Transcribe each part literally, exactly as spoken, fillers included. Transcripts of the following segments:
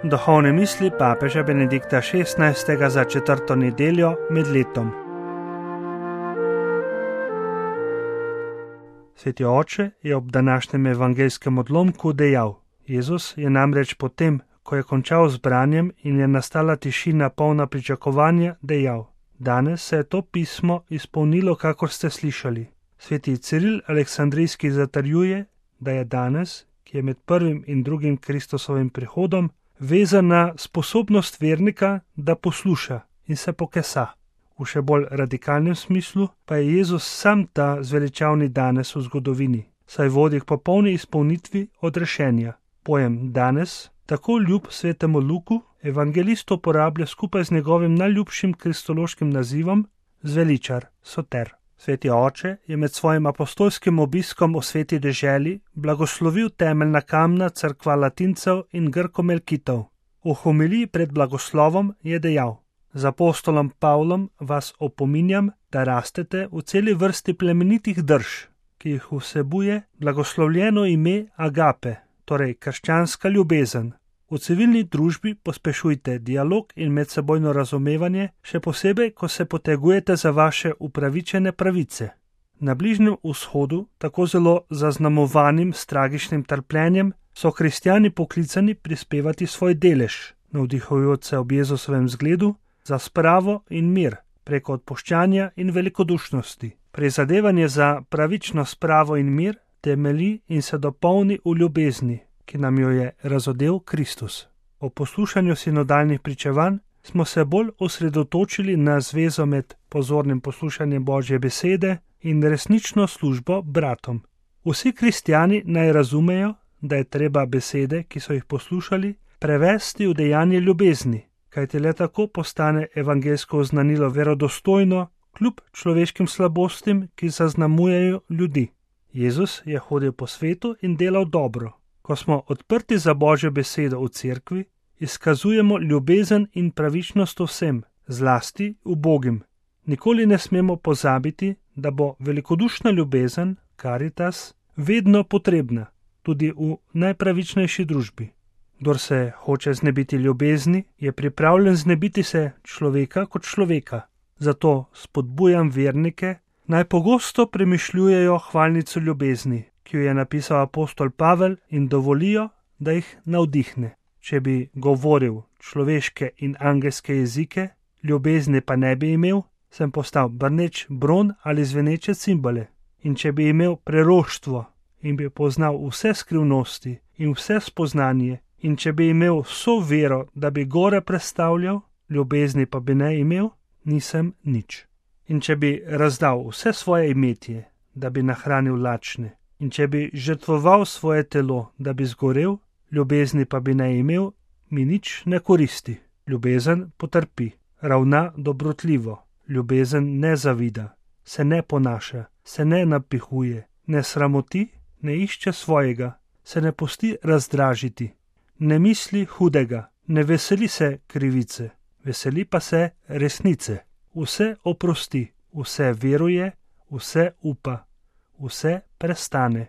Duhovne misli papeža Benedikta šestnajstega za četrto nedeljo med letom. Sveti oče je ob današnjem evangeljskem odlomku dejal: Jezus je namreč potem, ko je končal z branjem in je nastala tišina polna pričakovanja, dejal: Danes se je to pismo izpolnilo, kakor ste slišali. Sveti Ciril Aleksandrijski zatrjuje, da je danes, ki je med prvim in drugim Kristusovim prihodom, vezan na sposobnost vernika, da posluša in se pokesa. V še bolj radikalnem smislu pa je Jezus sam ta zveličavni danes v zgodovini, saj vodi k popolni izpolnitvi odrešenja. Pojem danes, tako ljub svetemu Luku, evangelist uporablja skupaj z njegovim najljubšim kristološkim nazivom zveličar, soter. Sveti oče je med svojim apostolskim obiskom v sveti deželi blagoslovil temeljna kamna cerkva Latincev in Grkomelkitov. V homiliji pred blagoslovom je dejal: Z apostolom Pavlom vas opominjam, da rastete v celi vrsti plemenitih drž, ki jih vsebuje blagoslovljeno ime agape, torej krščanska ljubezen. V civilni družbi pospešujte dialog in medsebojno razumevanje, še posebej, ko se potegujete za vaše upravičene pravice. Na Bližnjem vzhodu, tako zelo zaznamovanim s tragičnim trpljenjem, so kristjani poklicani prispevati svoj delež, navdihujoč se ob Jezusovem zgledu, za spravo in mir, preko odpuščanja in velikodušnosti. Prizadevanje za pravično spravo in mir temelji in se dopolni v ljubezni, ki nam jo je razodel Kristus. O poslušanju sinodalnih pričevanj smo se bolj osredotočili na zvezo med pozornim poslušanjem Božje besede in resnično službo bratom. Vsi kristjani naj razumejo, da je treba besede, ki so jih poslušali, prevesti v dejanje ljubezni, kajti le tako postane evangeljsko oznanilo verodostojno, kljub človeškim slabostim, ki zaznamujejo ljudi. Jezus je hodil po svetu in delal dobro. Ko smo odprti za Božjo besedo v cerkvi, izkazujemo ljubezen in pravičnost vsem, zlasti ubogim. Nikoli ne smemo pozabiti, da bo velikodušna ljubezen, caritas, vedno potrebna, tudi v najpravičnejši družbi. Kdor se hoče znebiti ljubezni, je pripravljen znebiti se človeka kot človeka. Zato spodbujam vernike, naj pogosto premišljujejo hvalnico ljubezni, ki jo je napisal apostol Pavel, in dovolijo, da jih navdihne. Če bi govoril človeške in angelske jezike, ljubezni pa ne bi imel, sem postal brneč bron ali zveneče cimbale. In če bi imel preroštvo in bi poznal vse skrivnosti in vse spoznanje, in če bi imel vso vero, da bi gore prestavljal, ljubezni pa bi ne imel, nisem nič. In če bi razdal vse svoje imetje, da bi nahranil lačne, in če bi žrtvoval svoje telo, da bi zgorel, ljubezni pa bi ne imel, mi nič ne koristi. Ljubezen potrpi, ravna dobrotljivo, ljubezen ne zavida, se ne ponaša, se ne napihuje, ne sramoti, ne išče svojega, se ne pusti razdražiti, ne misli hudega, ne veseli se krivice, veseli pa se resnice. Vse oprosti, vse veruje, vse upa, vse prestane,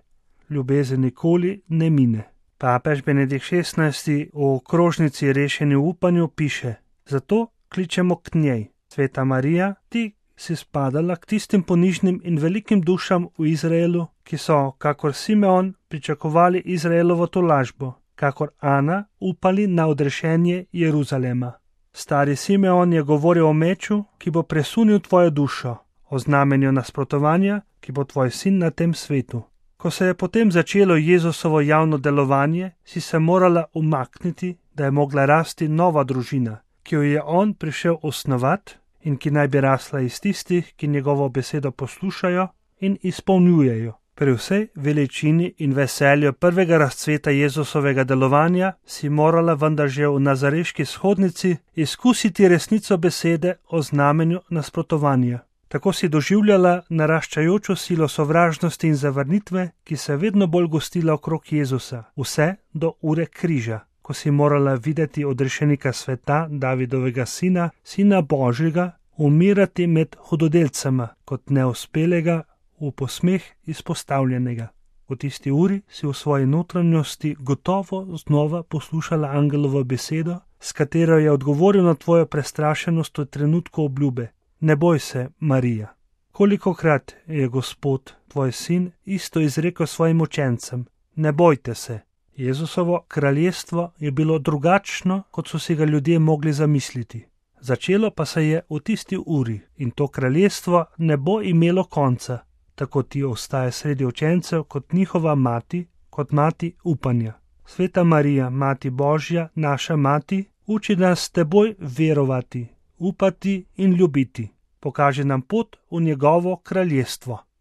ljubezen nikoli ne mine. Papež Benedikt šestnajsti v okrožnici Rešeni v upanju piše: Zato kličemo k njej, Sveta Marija, ti si spadala k tistim ponižnim in velikim dušam v Izraelu, ki so, kakor Simeon, pričakovali Izraelovo tolažbo, kakor Ana upali na odrešenje Jeruzalema. Stari Simeon je govoril o meču, ki bo presunil tvojo dušo, o znamenju nasprotovanja, ki bo tvoj sin na tem svetu. Ko se je potem začelo Jezusovo javno delovanje, si se morala umakniti, da je mogla rasti nova družina, ki jo je on prišel osnovati in ki naj bi rasla iz tistih, ki njegovo besedo poslušajo in izpolnjujejo. Pri vsej veličini in veselju prvega razcveta Jezusovega delovanja si morala vendar že v nazareški shodnici izkusiti resnico besede o znamenju nasprotovanja. Tako si doživljala naraščajočo silo sovražnosti in zavrnitve, ki se vedno bolj gostila okrog Jezusa, vse do ure križa, ko si morala videti odrešenika sveta, Davidovega sina, sina Božjega, umirati med hudodelcema kot neuspelega, v posmeh izpostavljenega. V tisti uri si v svoji notranjosti gotovo znova poslušala angelovo besedo, s katero je odgovoril na tvojo prestrašenost v trenutku obljube. Ne boj se, Marija. Kolikokrat je Gospod, tvoj sin, isto izrekel svojim učencem: ne bojte se. Jezusovo kraljestvo je bilo drugačno, kot so si ga ljudje mogli zamisliti. Začelo pa se je v tisti uri in to kraljestvo ne bo imelo konca. Tako ti ostaje sredi učencev kot njihova mati, kot mati upanja. Sveta Marija, Mati Božja, naša mati, uči nas s teboj verovati, upati in ljubiti. Pokaži nam pot v njegovo kraljestvo.